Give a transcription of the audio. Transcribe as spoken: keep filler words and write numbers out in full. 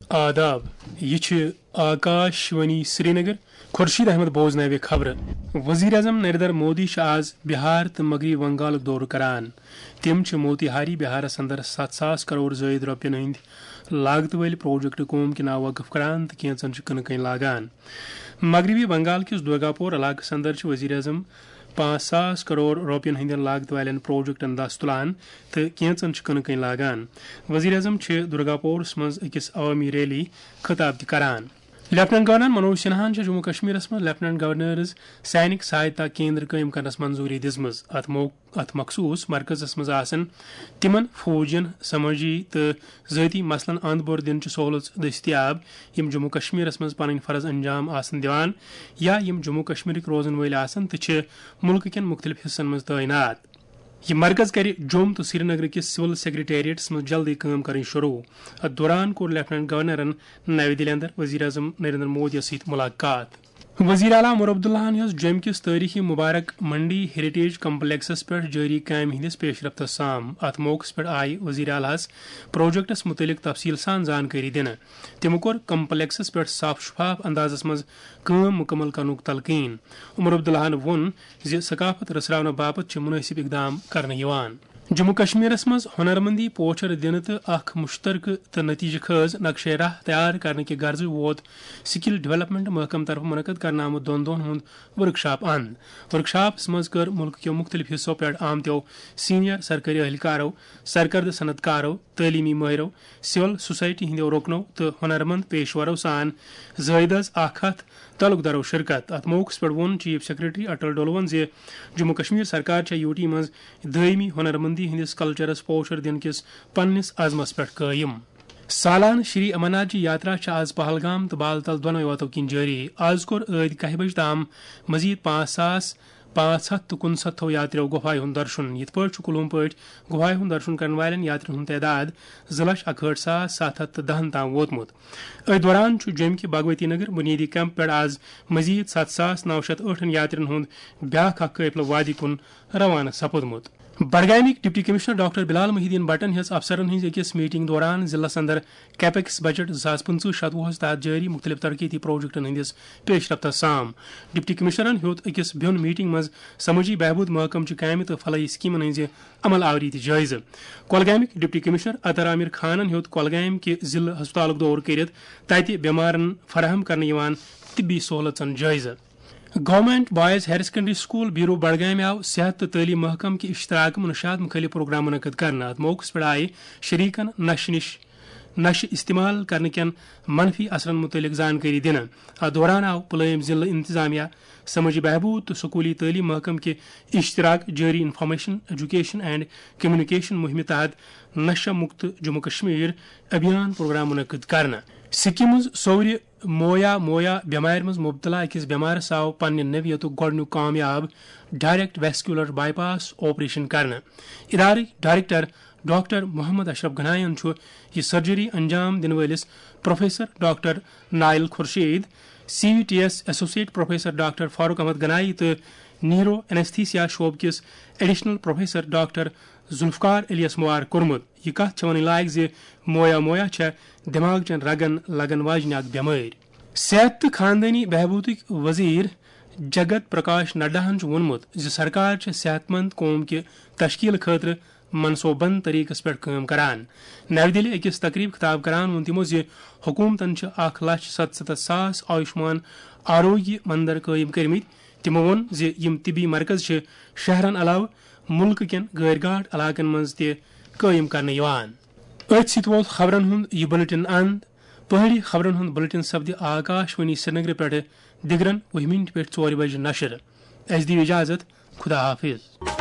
آداب، یہِ چھِ آکاش وانی سرینگر۔ خورشید احمد بوزناوِ خبرٕ۔ وزیر اعظم نریندر مودی چھُ آز بہار تہٕ مغربی بنگالُک دورٕ کران۔ تِم چھِ موتیہاری بہارس اندر ستھ ساس کرور زٲیِد رۄپین ہٕنٛدۍ لاگتہٕ وٲلۍ پروجیکٹ قوم کہِ ناوٕ وقف کران تہٕ کینژن چھِ کٕنہٕ کٕنۍ لاگان۔ مغربی بنگال کِس درگاپور علاقس اندر چھِ وزیر اعظم پانٛژھ ساس کرور رۄپین ہٕنٛدٮ۪ن لاگتہٕ والٮ۪ن پروجیکٹن دس تُلان تہٕ کینژن چھِ کٕنہٕ کٕنۍ لاگان۔ وزیر اعظم چھِ درگاپورس منٛز أکِس عوٲمی ریلی خطاب تہِ کران۔ لیفٹیننٹ گورنر منوج سنہاہن چھِ جموں کشمیرس منٛز لیفٹیننٹ گورنرز سینک سہایتا کیندر قٲیِم کرنس منظوٗری دِژمٕژ۔ اتھ مو-، اتھ مخصوٗص مرکزس منٛز آسن تِمن فوجین سمٲجی تہٕ ذٲتی مسلن اند بور دِنٕچ سہولژ دٔستیاب، یِم جموں کشمیرس منٛز پنٕنۍ فرض انجام آسن دِوان یا یِم جموں کشمیرٕکۍ روزن وٲلۍ آسن تہٕ چھِ مُلکہٕ کٮ۪ن مُختٔلِف حصن منٛز تعینات۔ یہِ مرکز کرِ جوٚم تہٕ سرینگر کِس سول سیکرٹریٹس منٛز جلدی کٲم کرٕنۍ شروع۔ اتھ دوران کوٚر لیفٹیننٹ گورنرن نَوِ دِلہِ اندر وزیر اعظم نریندر مودی یَس سۭتۍ ملاقات۔ وزیر اعلیٰ عمر عبداللہن ہیٚژ جوٚمہِ کِس تٲریخی مبارک منڈی ہیریٹیج کمپلیکسس پٮ۪ٹھ جٲری کامہِ ہٕنٛدِس پیش رفتس سام۔ اتھ موقعس پٮ۪ٹھ آیہِ وزیر اعلیٰ ہَس پروجیکٹس مُتعلق تفصیٖل سان زانکٲری دِنہٕ۔ تِمو کوٚر کمپلیکسس پٮ۪ٹھ صاف شفاف اندازس منٛز کٲم مُکمل کرنُک تلقین۔ عمر عبداللہن ووٚن زِ ثقافت رژھراونہٕ باپتھ چھِ مُنٲسِب اقدام کرنہٕ یِوان۔ جموں کشمیرس منٛز ہُنرمندی پوچھر دِنہٕ تہٕ اکھ مُشترکہٕ تہٕ نتیجہٕ خٲز نقشے راہ تیار کرنہٕ کہِ غرضہٕ ووت سکل ڈیولپمنٹ محکمہٕ طرفہٕ منعقد کرنہٕ آمُت دۄن دۄہن ہُنٛد ورکشاپ اند۔ ورکشاپس منٛز کٔر مُلکہٕ کیو مُختٔلِف حصو پٮ۪ٹھ آمتیو سینئر سرکٲری اہلکارو، سرکردٕ صنعت کارو، تعلیمی مٲہرو، سول سوسائٹی ہٕنٛدیو رُکنو تہٕ ہُنرمند پیشورو سان زٲیدٕ از اکھ ہتھ تعلق دارو شرکت۔ اتھ موقعس پٮ۪ٹھ ووٚن چیف سیکرٹری اٹل ڈولون زِ جموں کشمیر سرکار چھےٚ یوٗ ٹی منٛز دٲیمی ہُنرمندی ہٕنٛدِس کلچرس پوچھر دِنہٕ کِس پننِس عزمس پٮ۪ٹھ قٲیِم۔ سالانہٕ شری امرناتھ جی یاترا چھےٚ آز پہلگام تہٕ بالتل دۄنوَے وتو کِنۍ جٲری۔ آز کوٚر ٲدۍ کاہہِ بجہِ تام مزید پانٛژھ ساس پانٛژھ ہتھ تہٕ کُنسَتتھو یاتریو گۄپھایہِ ہُنٛد درشُن، یِتھ پٲٹھۍ چھُ کُلوم پٲٹھۍ گۄپھایہِ ہُنٛد درشُن کرن والٮ۪ن یاترین ہُنٛد تعداد زٕ لچھ اکہٲٹھ ساس ستھ ہتھ تہٕ دہن تام ووتمُت۔ أتھۍ دوران چھُ جوٚمہِ کہِ بھگوتی نگر بنیادی کیمپ پٮ۪ٹھ آز مزید ستھ ساس نو شتھ ٲٹھن یاترین ہُنٛد بیٛاکھ اکھ قٲفلہٕ وادی کُن روانہٕ سپُدمُت۔ بڈگامٕکۍ ڈپٹی کمشنر ڈاکٹر بلال محی الدین بٹن ہیٚژ افسرن ہٕنٛز أکِس میٹنگ دوران ضلعس اندر کیپیکس بجٹ زٕ ساس پٕنٛژٕہ شتوُہس تحت جٲری مُختٔلِف ترقیتی پروجیکٹن ہٕنٛدِس پیش رفتس سام۔ ڈپٹی کمشنرن ہیوٚت أکِس بیوٚن میٹنگ منٛز سمٲجی بہبود محکمہٕ چہِ کامہِ تہٕ فلاحی سکیمن ہٕنٛزِ عمل آوری تہِ جٲیزٕ۔ کۄلگامٕکۍ ڈپٹی کمشنر اطہر عامر خانن ہیوٚت کۄلگامہِ کہِ ضلعہٕ ہسپتالُک دورٕ کٔرِتھ تتہِ بیمارن فراہم کرنہٕ یِوان طبی سہولژن جٲیزٕ۔ Government boys higher secondary school Beerwah بڈگامہِ آو صحت تہٕ تعلیٖم محکمہٕ کہِ اشتراکہٕ منشیات مُخٲلِف پروگرام منعقد کرنہٕ۔ اتھ موقعس پٮ۪ٹھ آیہِ شریکن نشہٕ نِش نشہٕ استعمال کرنہٕ کٮ۪ن منفی اثرن مُتعلق زانکٲری دِنہٕ۔ اتھ دوران آو پُلوٲمۍ ضلعہٕ انتظامیہ، سمٲجی بہبود تہٕ سکوٗلی تعلیٖم محکمہٕ کہِ اشتراک جٲری انفارمیشن، ایجوکیشن اینڈ کمیونیکیشن مُہِمہِ تحت نشہ مُکت جموں کشمیر ابھیان پروگرام منعقد کرنہٕ۔ سکمٕز سورِ مویا مویا بٮ۪مارِ منٛز مُبتلا أکِس بٮ۪مارس آو پننہِ نوعیتُک گۄڈٕنیُک کامیاب direct vascular bypass operation کرنہٕ۔ ادارٕکۍ ڈائریکٹر ڈاکٹر محمد اشرف گناین چھُ یہِ سرجری انجام دِنہٕ وٲلِس professor doctor Nayil Khurshid, C V T S associate professor doctor Farooq Ahmad Ganai تہٕ نیورو اینستھیسیا شعبہٕ کِس ایڈیشنل پروفیسر ڈاکٹر ذوالفقار علیس مبارک کوٚرمُت۔ یہِ کتھ چھےٚ ونٕنۍ لایق زِ مویا مویا چھےٚ دٮ۪ماغ چٮ۪ن رگن لگن واجنہِ اکھ بٮ۪مٲرۍ۔ صحت تہٕ خاندٲنی بہبودٕکۍ وزیر جگت پرکاش نڈاہن چھُ ووٚنمُت زِ سرکار چھےٚ صحت مند قوم کہِ تشکیل خٲطرٕ منصوبن طریقس پٮ۪ٹھ کٲم کران۔ نَوِ دِلہِ أکِس تقریب خطاب کران ووٚن تِمو زِ حکومتن چھِ اکھ لچھ ستستھ ساس آیوشمان آروگیہ مندر قٲیِم کٔرمٕتۍ۔ تِمو ووٚن زِ یِم طبی مرکز چھِ شہرن علاوٕ مُلکہٕ کٮ۪ن غٲر گاٹھ علاقن منٛز تہِ قٲیِم کرنہٕ یِوان۔ أتھۍ سۭتۍ ووت خبرن ہُنٛد یہِ بلیٹن اند۔ پہٲڑی خبرن ہُنٛد بلیٹن سپدِ آکاش وانی سرینگرٕ پٮ۪ٹھٕ دِگرن وُہہِ مِنٹہِ پٮ۪ٹھ ژورِ بجہِ نشر۔ اَسہِ دِیِو اجازت۔ خدا حافظ۔